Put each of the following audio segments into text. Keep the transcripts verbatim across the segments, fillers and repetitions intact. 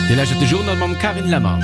Dir lauschtert de Journal mam Carine Lemmer.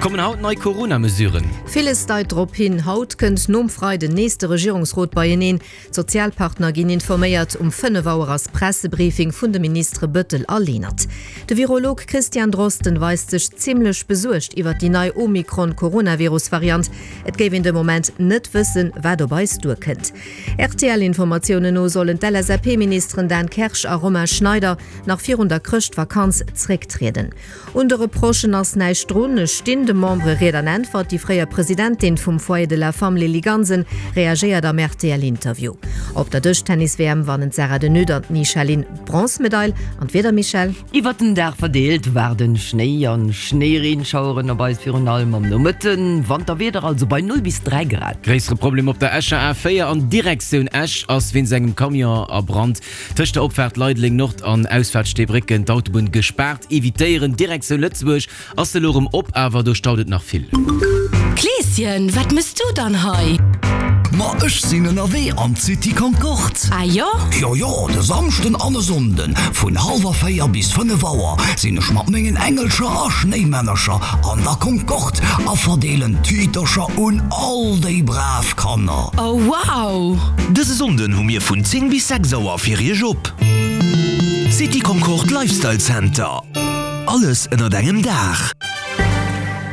Kommen haut nei Corona-Mesuren? Villes deit drop hin, haut kënnt nom Freiden nees de Regierungsrot beieneen. D'Sozialpartner ginn informéiert. Um fënnef Auer ass Pressebriefing vun de Ministere Bettel a Lenert. De Virolog Christian Drosten weist sech zimmlech besuergt iwwer déi nei Omikron-Coronavirus-Variant. Et géif een de Moment net wëssen, wat op eis duerkënnt. R T L-Informatiounen no sollen d'L S A P-Ministeren Dan Kersch a Romain Schneider nach virun der Chrëschtvakanz zrécktrieden. Un de Reprochen ass näischt drun, ech stinn de Membere Ried an Äntwert. Déi fréier Presidentin vum Foyer de la Femme Lily Gansen reagéiert am R T L-Interview. Op der Dëschtennis-W M wannen d'Sarah de Nutte an d'Ni Xia Lin d'Bronzmedail. An d'Wieder, Michèle? Iwwer den Dag verdeelt waarden Schnéi an Schnéireenschaueren op eis, virun allem am Nomëtten. Wanterwieder also bei null bis dräi Grad. Gréissere Problem op der Escher A véier an Direktioun Esch ass wéinst engem Camion a Brand tëscht der Opfaart Leideleng Nord an Ausfaart Steebrécken d'Autobunn gespaart. Evitéieren. Direktioun Lëtzebuerg ass se elo erëm op, awer do staut et nach vill. Kleeschen, wat mëss du dann hei? Ma ech sinn ënnerwee an d'City Concorde. Ah jo? Jo jo, de Samschden an e Sonnden vun hallwer véier bis fënnef Auer sinn ech mat mengen Engelcher a Schnéimännercher an der Concorde a verdeelen Titercher un all déi brav Kanner. Oh wow! Dëse Sonnden hu mir vun zéng bis sechs Auer fir iech op. City Concorde Lifestyle Center. Alles ënnert engem Daach.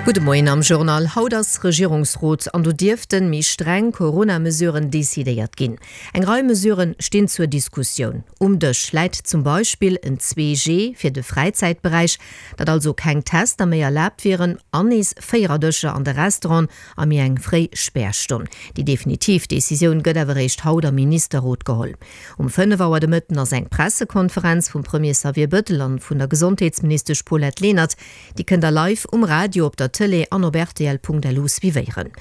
Gudde Moien am Journal. Haut ass Regierungsrot an do dierften méi streng Corona-Mesuren decidéiert ginn. Eng Rei Mesuren stinn zur Diskussioun. Um Dësch läit zum Beispill en zwee G fir de Fräizäitberäich, datt also keng Tester méi erlaabt wieren an nees Véiererdëscher an de Restauranten a méi eng fréi Spärstonn. Déi definitiv Decisioun gëtt awer eréischt haut am Ministerrot geholl. Um fënnef Auer de Mëtten ass eng Pressekonferenz vum Premier Xavier Bettel an vun der Gesondheetsministesch Paulette Lenert. Déi kënnt der live um Radio, op der Tëlee an op R T L Punkt L U suivéieren.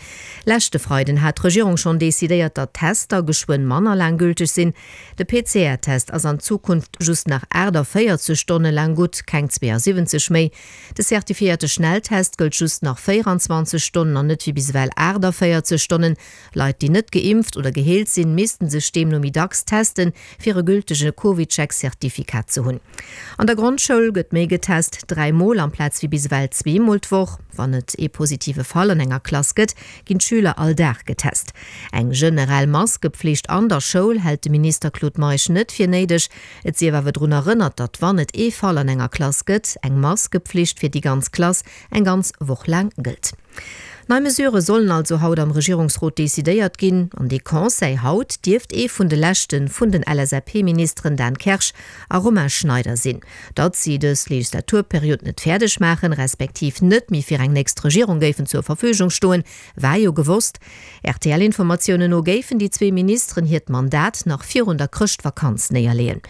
Leschte Freiden hat d'Regierung schonn decidéiert, datt Tester geschwënn manner laang gülteg sinn. De P C R-Test ass an Zukunft just nach aachtavéierzeg Stonne laang gutt, keng zweeësiwwenzeg méi. De zertifiéierte Schnelltest gëllt just nach véieranzwanzeg Stonnen an net wéi bis ewell aachtavéierzeg Stonnen. Leit, déi net geimpft oder geheelt sinn, missten sech deemno méi dacks testen, fir e gültege CovidCheck-Zertifikat ze hunn. An der Grondschoul gëtt méi getest, dräi Mol amplaz wéi bis ewell zwee Mol d'Woch. Wann et ee positive Fall an enger Klass gëtt, ginn d'Schüler all Dag getest. Eng generell Maskepflicht an der Schoul hält de Minister Claude Meisch net fir néideg. Et sief awer drun erënnert, datt wann et ee Fall an enger Klass gëtt, eng Maskepflicht fir déi ganz Klass eng ganz Woch laang gëllt. Nei Mesurë sollen also haut am Regierungsrot decidéiert ginn. An dee Conseil haut dierft ee vun de leschte vun den L S A P-Ministeren Dan Kersch a Romain Schneider sinn. Datt si dës Legislaturperiod net fäerdeg maachen, respektiv net méi fir eng nächst Regierung géifen zur Verfügung stoen, war jo gewosst. R T L-Informatiounen no géifen déi zwee Ministeren hiert Mandat nach virun der Chrëschtvakanz néierleeën.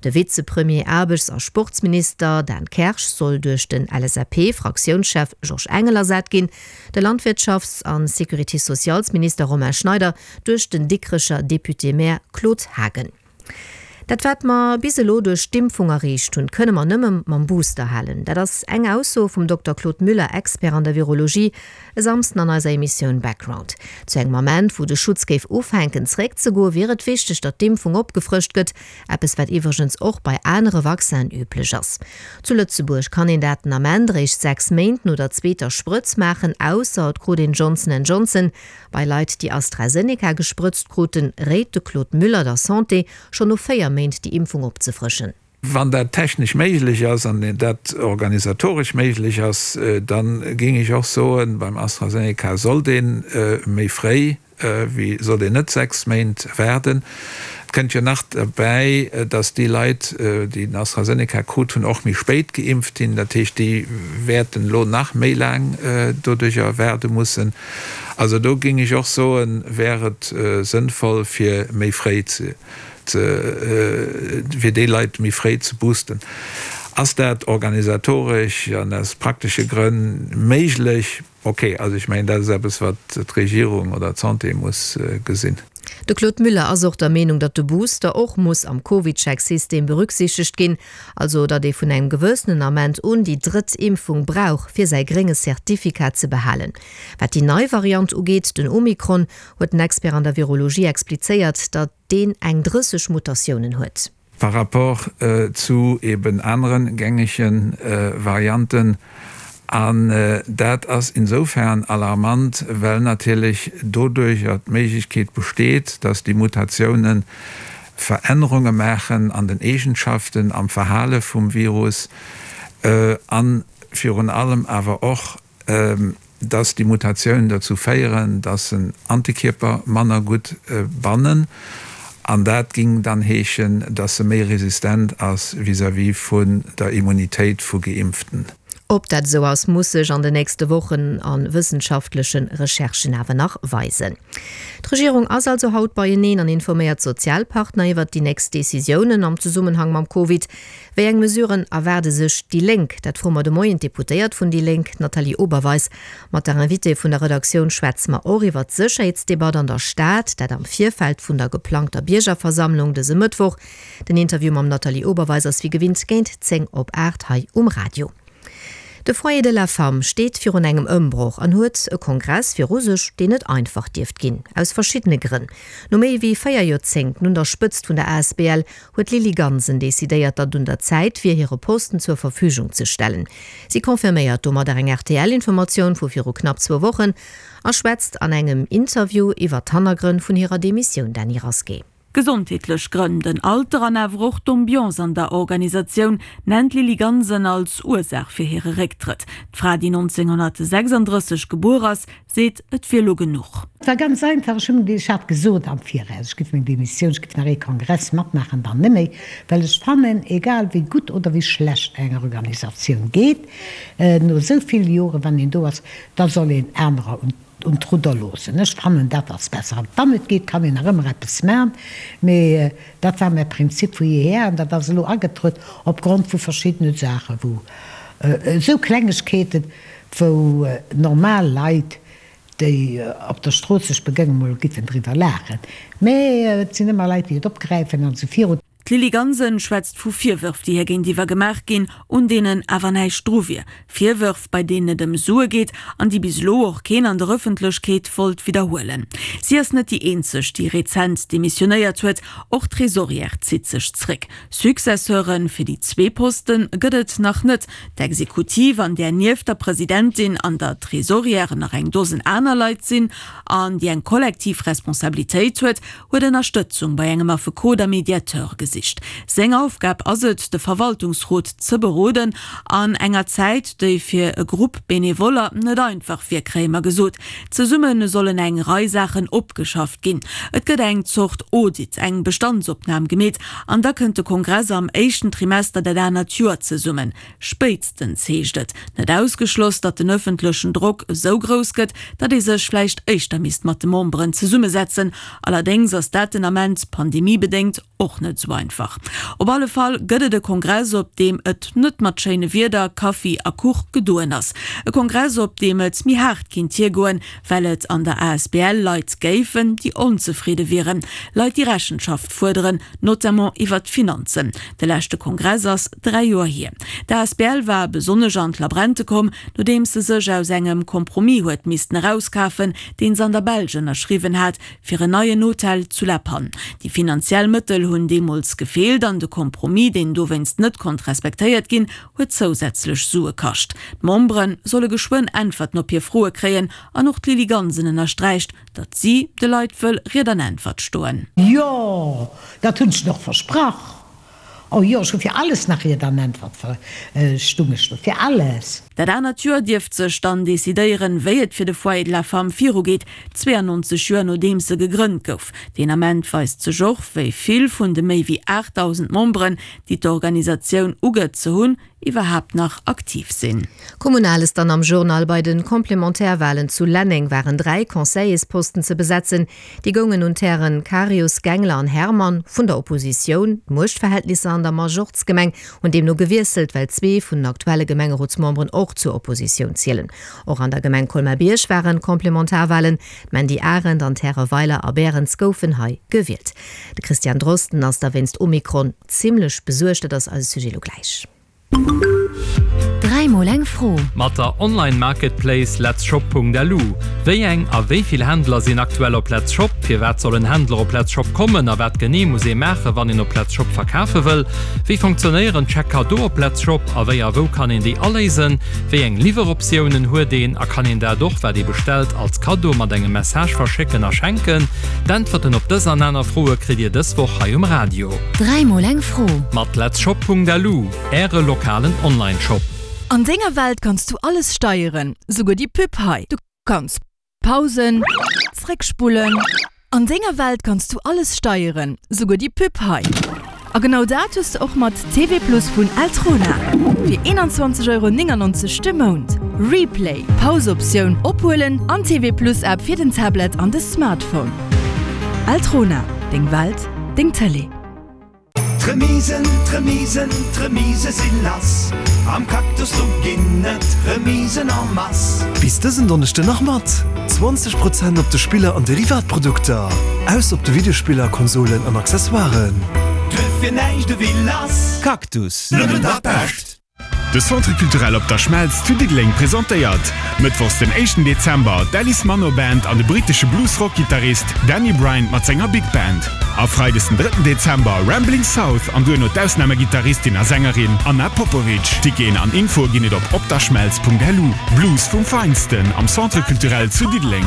De Vizepremier, Aarbechts a Sportsminister Dan Kersch soll duerch den L S A P-Fraktiounschef Georges Engel ersat ginn. De Landwirtschafts an Sécurité-sociales-Minister Romain Schneider duerch den Dikrecher Député-Maire Claude Haagen. Dat wat mer bis elo duerch d'Impfung erreecht hunn, kënne mer nëmme mam Booster halen. Dat ass eng Ausso vum Dokter Claude Müller, Expert an der Virologie, e Samsden an eiser Emissioun Background. Zu engem Ament, wou de Schutz géif ufänken zréckzegoen, wier et wichteg, datt d'Impfung opgefrëscht gëtt, eppes wat iwwregens och bei anere Vaccinen üblech ass. Zu Lëtzebuerg kann een dat den Ament réischt sechs Méint no der zweeter Sprëtz maachen, ausser et krut een Johnson and Johnson. Bei Leit, déi AstraZeneca gesprëtzt kruten, réit de Claude Müller der Santé, schonn no véier Méint déi Impfung opzefrëschen. Wann dat technesch méiglech ass an dat organisatoresch méiglech ass, dann géing ech och soen, beim AstraZeneca sollt een méi fréi wéi sollt een net sechs Méint waarden. Et kënnt jo nach derbäi, datt déi Leit, déi den AstraZeneca krut hunn, och méi spéit geimpft ginn. Dat heescht, déi wäerten elo nach méi laang doduercher waarde mussen. Also do géing ech och soen, wär et sënnvoll fir méi fréi ze fir déi Leit méi fréi ze boosten. Ass dat organisatoresch an aus praktesche Grënn méiglech? Ok, also ech mengen, dat ass eppes wat d'Regierung oder d'Santé muss gesinn. De Claude Müller ass och der Meenung, datt de Booster och muss am CovidCheck-System berücksichtegt ginn, also datt ee vun engem gewëssenen Ament un déi drëtt Impfung brauch, fir säi grénge Certificat ze behalen. Wat déi nei Variant ugeet, den Omikron, huet den Expert an der Virologie explizéiert, datt deen eng drësseg Mutatiounen huet. par rapport zu eben aneren gängege Varianten. An dat ass insofern alarmant, well natierlech doduercher d'Méiglechkeet besteet, dass déi Mutatiounen Verännerunge maachen an den Eegenschaften, am Verhale vum Virus an virun allem awer och, dass déi Mutatiounen dozou féieren, dass en Antikierper manner gutt bannen. An dat géing dann heeschen, dass se méi resistent ass vis-à-vis vun der Immunitéit vu Geimpften. Ob dat esou ass, muss sech an de nächste Wochen a wëssenschaftleche Recherchen awer nach weisen. D'Regierung ass also haut beieneen an informéiert d'Sozialpartner iwwert déi nächst Decisiounen am Zesummenhang mam Covid. Wéi eng Mesuren erwaarde sech déi Lénk? Dat froe mer de Moien d'Deputéiert vun déi Lénk, d'Nathalie Oberweis. Mat der Invitée vun der Redaktioun schwätze mer och iwwert d'Sécherheetsdebatt an der Stad, dat am Virfeld vun der geplangter Biergerversammlung dëse Mëttwoch. Den Interview mam Nathalie Oberweis ass wéi gewinnt géint zéng op aacht hei um Radio. De Foyer de la Femme steet virun engem Ëmbroch an huet e Kongress viru sech, deen net einfach dierft ginn, aus verschiddene Grënn. No méi wéi véier Joerzéngten un der Spëtzt vun der asbl huet d'Lily Gansen decidéiert, datt et un der Zäit wier, hire Posten zur Verfügung ze stellen. Si confirméiert domadder eng R T L-Informatioun vu viru knapp zwou Wochen a schwätzt an engem Interview iwwer d'Hannergrënn vun hirer Demissioun. Dany Rasqué. Gesondheetlech Grënn, den Alter an awer och d'Ambiance an der Organisatioun nennt d'Lily Gansen als Ursaach fir hire Récktrëtt. D'Fra, déi nonzénghonnertsechsandrësseg gebuer ass, seet, et wier elo genuch. Et war ganz einfach, ech hunn, ech hat gesot am Viraus, ech giff meng Demissioun, ech giff nach ee Kongress matmaachen, dann net méi, well ech fannen, egal wéi gutt oder wéi schlecht eng Organisatioun geet, no esou ville Joren, wann een do ass, da soll een anerer un un d'Rudder loossen. Ech fannen, dat ass besser. An wann et geet, kann een nach ëmmer eppes maachen, mee dat war mäi Prinzip vu jeher an dat ass elo agetruet opgrond vu verschiddene Saachen, wou esou Klengegkeeten, wou normal Leit, déi op der Strooss sech begéngen, mol giffen driwwer laachen. Mee et sinn ëmmer Leit, déi et opgräifen an esou virun. D'Lily Gansen schwätzt vu Virwërf, déi hir géintiwwer gemaach ginn, un deenen awer näischt dru wier. Virwërf, bei deenen et ëm Sue geet an déi bis elo och keen an der Ëffentlechkeet wollt widderhuelen. Si ass net déi eenzeg, déi rezent demissionéiert huet, och d'Tresorière zitt sech zréck. Successeure fir déi zwee Poste gëtt et nach net. D'Exekutiv, an där nieft der Presidentin an der Tresorière nach eng Dosen aner Leit sinn an déi eng kollektiv Responsabilitéit huet, huet Ënnerstëtzung bei engem Affekot a Mediateur gesicht. Seng Aufgab ass et, de Verwaltungsrot ze beroden, an enger Zäit, déi fir e Grupp Benevoller net einfach wier, kréie mer gesot. Zesumme sollen eng Rei Saachen opgeschafft ginn. Et gëtt eng Zort Audit, eng Bestandsopnam gemeet an da kënnt de Kongress am éischten Trimester dat anert Joer zesummen. Spéitstens, heescht et. Net ausgeschloss, datt den ëffentlechen Drock esou grouss gëtt, datt ee sech vläicht éischter misst mat de Memberen zesummesetzen. Allerdéngs ass dat den Ament, pandemiebedéngt, och net esou einfach. Op alle Fall gëtt et e Kongress, op deem et net mat schéine Wierder, Kaffi a Kuch gedoen ass. E Kongress, op deem et méi haart kinnt hiergoen, well et an der asbl Leit géifen, déi onzefridde wieren. Leit, déi Rechenschaft fuerderen, notamment iwwert d'Finanzen. De leschte Kongress ass dräi Joer hier. D'asbl war besonnesch an d'Labrente komm, nodeems se sech aus engem Compromis huet missten erauskafen, deen se an der Belsch ënnerschriwwen hat, fir en neien Hotel zu La Panne. Déi finanziell Mëttel hunn deemools gefeelt an de Compromis, deen dowéinst net konnt respektéiert ginn, huet zousätzlech Sue kascht. D'Membere solle geschwënn Äntwerten op hir Froe kréien an och d'Lily Gansen ënnersträicht, datt si de Leit wëll Ried an Äntwert stoen. Jo, dat hunn ech nach versprach. Oh jo, ech hu fir alles nach Ried an Äntwert stung ech do, fir alles. Dat anert Joer dierft sech dann decidéieren, wéi et fir de Foyer de la Femme virugeet, zweeannonzeg Joer nodeems e gegrënnt gouf. Deen Ament weist sech och, wéi vill vun de méi wéi aachtdausend Memberen, déi d'Organisatioun ugëtt ze hunn, iwwerhaapt nach aktiv sinn. Kommunales dann am Journal, Bei den Komplementärwahlen zu Lenneng waren dräi Conseillersposten ze besetzen. Déi goungen un d'Hären Karius, Gengler an Hermann vun der Oppositioun. D'Muechtverhältnisser an der Majorzgemeng hunn deemno gewiesselt, well zwee vun den aktuelle Gemengerotsmemberen och zur Oppositioun zielen. Och an der Gemeng Colmar-Bierg waren Komplementarwahlen. D'Mandy Arendt an d'Häre Weiler a Berens goufen hei gewielt. De Christian Drosten ass da wéinst Omikron zimmlech besuergt. Dat ass eise Sujet elo gläich. Dräi mol eng Fro. Mat der Online-Marketplace letzshop.lu. Wéi eng a wéi vill Händler sinn aktuell op Letzshop? Firwat soll en Händler op Letzshop kommen a wat genee muss ee maachen, wann een op Letzshop verkafe wëll? Wéi funktionéieren d'Chèque Cadeau op Letzshop a wéi a wou kann een déi aléisen? Wéi eng Liwweroptiounen huet een a kann een dat och, wat ee bestellt, als Kaddo mat engem Message verschécken a schenken? D'Äntwerten op dës an aner Froe kritt Dir dës Woch hei um Radio. Dräi mol eng Fro. Mat letzshop.lu, Äre lokalen Online-Shop. An denger Welt kanns du alles steieren, souguer déi Pub hei. Du kanns pausen, zréckspullen. An denger Welt kanns du alles steieren, souguer déi Pub hei. A genau dat hues de och mat T V Plus vun Eltrona. Fir eenanzwanzeg Euro néngannonzeg de Mount. Replay, Pause-Optioun, ophuelen an T V Plus App fir den Tablet an de Smartphone. Eltrona, deng Welt, deng Tëlee. D'Remisen, d'Remisen, d'Remise si lass! Am Cactus do ginn et Remisen en masse! Bis dësen Donneschden nach mat zwanzeg Prozent op de Spiller an Derivatprodukter, aus op de Videospiller, Konsolen an Accessoiren. Duerfir näischt ewéi lass! Cactus, nëmmen dat Bescht! De Centre Culturel Op der Schmelz zu Diddeleng presentéiert mëttwochs den éischten Dezember d'Alice Manno Band an de brittesche Blues-Rock-Gittarist Danny Bryant mat senger Big Band. A freides den drëtten Dezember Rambling South an duerno d'Ausnamegittarristin a Sängerin Anna Popovic. Ticketen an Infoe ginn et op opderschmelz Punkt L U. Blues vum Feinsten am Centre Culturel zu Diddeleng.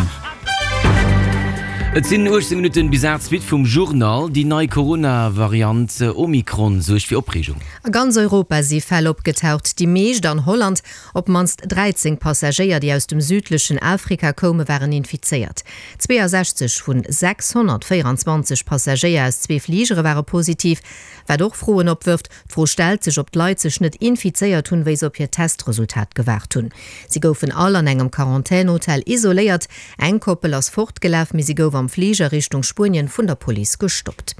Et sinn uechtzéng Minutten bis aacht, Suite vum Journal. Déi nei Corona-Variant Omikron suergt fir Opreegung. A ganz Europa si Fäll opgetaucht, déi meescht an Holland. Op d'mannst dräizéng Passagéier, déi aus dem südlechen Afrika koume waren infizéiert. zweeasechzeg vun sechshonnertvéieranzwanzeg Passagéier aus zwee Fligere ware positiv, wat och Froen opwërft. D'Fro stellt sech, ob d'Leit sech net infizéiert hunn, wéi se op hiert Testresultat gewaart hunn. Si goufen all an engem Quarantän-Hotel isoléiert. Eng Koppel ass fortgelaf, mee si gouf am Fliger Richtung Spuenien vun der Police gestoppt.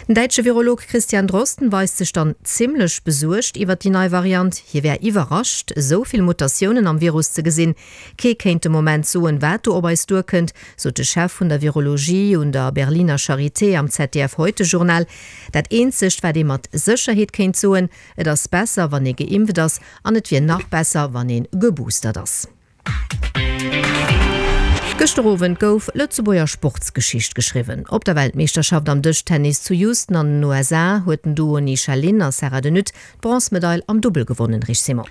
Den däitsche Virolog Christian Drosten weist sech dann zimmlech besuergt iwwer déi nei Variant. Hie wär iwwerrascht, esou vill Mutatiounen am Virus ze gesinn. Kee kéint de Moment soen, wat do op eis duerkënnt, sot de Chef vun der Virologie un der Berliner Charité am Z D F Heute-Journal. Dat eenzegt, wat ee mat Sécherheet kéint soen, et ass besser, wann ee geimpft ass, an et wier nach besser, wann ee geboostert ass. Gëschter Owend gouf Lëtzebuerger Sportsgeschicht geschriwwen. Op der Weltmeeschterschaft am Dëschtennis zu Houston an den U S A huet den Duo Ni Sha Lin a Sarah de Nutte d'Bronzmedail am Dubbel gewonnen, Rich Simon.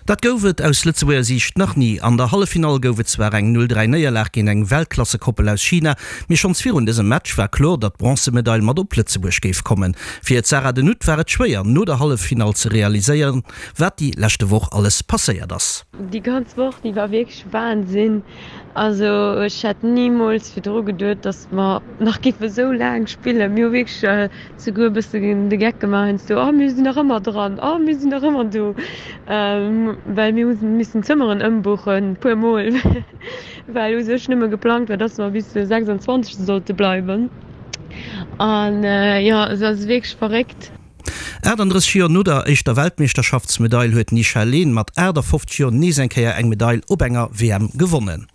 Dat gouf et aus Lëtzebuerger Siicht nach ni. An der Halleffinall gouf et zwar eng null dräi Néierlag géint eng Weltklassekoppel aus China, mee schonns virun dësem Match war kloer, datt d'Bronzemedail mat op Lëtzebuerg géif kommen. Fir d'Sarah de Nutte war et schwéier, no der Halleffinall ze realiséieren, wat déi leschte Woch alles passéiert ass. Déi ganz Woch, déi war wierklech Wahnsinn. Also ech hätt nimools virdru geduet, datt mer nach géife sou laang spillen. Mir hu wierklech souguer e bëssen de Geck gemaach heiansdo, oh mir sinn nach ëmmer dran, oh mir sinn nach ëmmer do. Well mir hu missen Zëmmeren ëmbuchen, puer mol, well u sech nëmme geplangt war, datt mer bis de sechsanzwanzegste sollte bleiwen. An jo, et ass wierklech verréckt. achtandrësseg Joer no der éischter Weltmeeschterschaftsmedail huet d'Ni Xia Lin mat aachtafofzeg Joer nees eng Kéier eng Medail op enger W M gewonnen.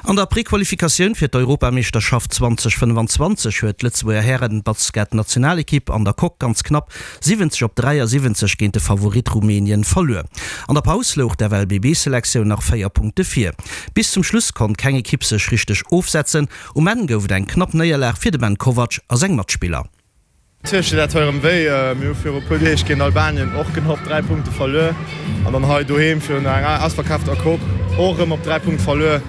An der Prequalifikatioun fir d'Europameeschterschaft zweedausendfënnefanzwanzeg huet d'Lëtzebuerger Hären-Basketnationalekipp an der Coque ganz knapp siwwenzeg op dräiasiwwenzeg géint de Favorit Rumänien verluer. An der Paus louch d'F L B B-Selektioun nach véier Punkte vir. Bis zum Schluss konnt keng Ekipp sech richteg ofsetzen. Um Enn gouf et eng knapp Néierlag fir de Ben Kovac a seng Matspiller. Natierlech deet dat hei erëm wéi. Mir hu viru e puer Deeg géint Albanien och genau op dräi Punkte verluer an dann hei doheem virun enger ausverkaafter Coque och erëm op dräi Punkte verluer.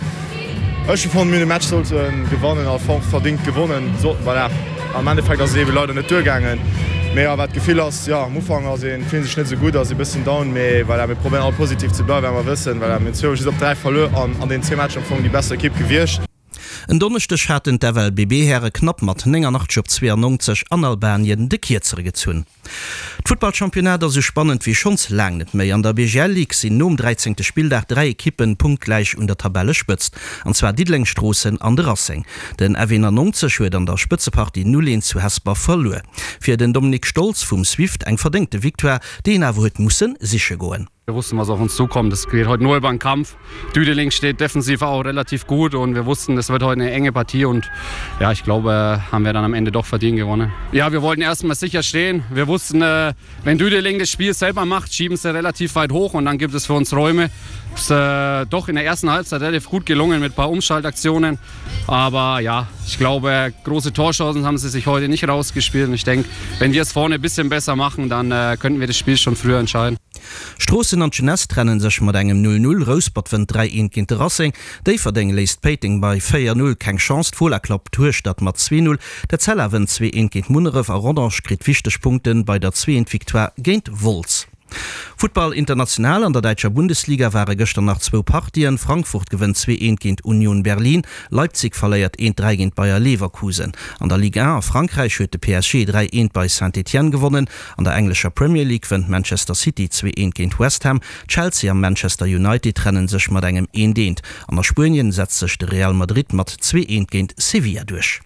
Ech hu fonnt, mir hunn de Match sollte gewannen a verdéngt gewonnen. Voilà, am Endeffekt ass et eebe leider net duergaangen. Mee jo, wat d'Gefill ass, jo, am Ufank ass ee fillt sech net esou gutt, ass ee bëssen down, mee voilà, mir probéieren all positiv ze bleiwen, well mer wëssen, voilà, mir hunn zwou just op dräi verluer an an deenen zwee Matcher am Fong déi besser Ekipp gewiescht. En Donneschdeg haten d'F L B B-Häre knapp mat néngannachtzeg op zweeannonzeg an Albanien de Kierzere gezunn. D'Futtballchampionnat ass esou spannend wéi schonns laang net méi. An der B G L Ligue sinn nom dräizéngte Spilldag dräi Ekippen punktgläich un der Tabellespëtzt, an zwar Diddeleng, Stroossen an de Racing. Den F eenannonzeg huet an der Spëtzepartie null eent zu Hesper verluer. Fir den Dominik Stolz vum Swift eng verdéngte Victoire, déi een awer huet musse siche goen. Wir wussten, was auf uns zukommt. Es geht heute nur über den Kampf. Düdeling steht defensiv auch relativ gut und wir wussten, es wird heute eine enge Partie und ja, ich glaube, haben wir dann am Ende doch verdient gewonnen. Ja, wir wollten erstmal sicher stehen. Wir wussten, äh, wenn Düdeling das Spiel selber macht, schieben sie relativ weit hoch und dann gibt es für uns Räume. Ist, äh, doch in der ersten Halbzeit relativ gut gelungen mit ein paar Umschaltaktionen. Aber ja, ich glaube, große Torchancen haben sie sich heute nicht rausgespielt. Und ich denke, wenn wir es vorne ein bisschen besser machen, dann äh, könnten wir das Spiel schon früher entscheiden. Stroossen an d'Jeunesse trenne sech mat engem null null, Rouspert wënnt dräi eent géint de Racing, Déifferdeng léisst Péiteng bei véier null keng Chance, d'Fola klappt Hueschtert mat zwee null, d'Etzella wënnt zwee eent géint Munneref a Rodange kritt wichteg Punkte bei der zwee eent Victoire géint Wolz. Futtball international, An der däitscher Bundesliga ware gëschter nach zwou Partien, Frankfurt gewënnt zwee eent géint Union Berlin, Leipzig verléiert eent dräi géint Bayer Leverkusen. An der Ligue un a Frankräich huet de P S G dräi eent bei Saint-Étienne gewonnen. An der englescher Premier League wënnt Manchester City zwee eent géint West Ham. Chelsea a Manchester United trenne sech mat engem eent eent. An a Spuenien setzt sech de Real Madrid mat zwee eent géint Sevilla duerch.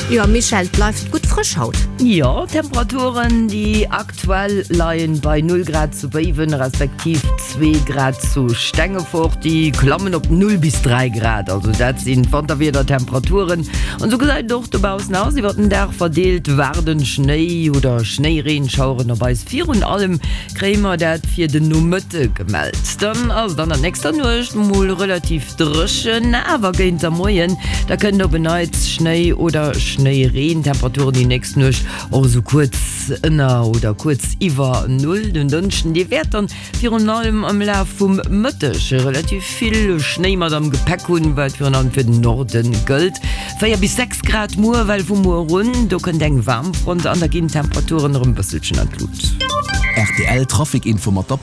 Jo Michèle, et bleift gutt frësch haut. Jo, d'Temperaturen déi aktuell leien bei null Grad zu Béiwen, respektiv zwee Grad zu Stengefort. Déi klammen op null bis dräi Grad. Also dat sinn d'Wanterwiedertemperaturen. An esou gesäit et och dobaussen aus. Iwwer den Dag verdeelt waarden Schnéi oder Schnéireenschaueren op eis. Virun allem kréie mer dat fir den Nomëtte gemellt. Dann ass et an der nächster Nuecht mol relativ dréchen, awer géint der Moien da kënnt op en Neits Schnéi oder Schnéireen. Temperaturen déi nächst Nuecht och esou kuerz ënner oder kuerz iwwer Null. Den Dënschden, dee wäert dann virun allem am Laf vum Mëtteg relativ vill Schnéi mat am Gepäck hunn, wat virun allem fir den Norde gëllt. Véier bis sechs Grad muer, well vu muer un, do kënnt eng Waarmfront an da ginn d'Temperaturen erëm e bësselchen an d'Lut. Rtl Trafic Info mat der.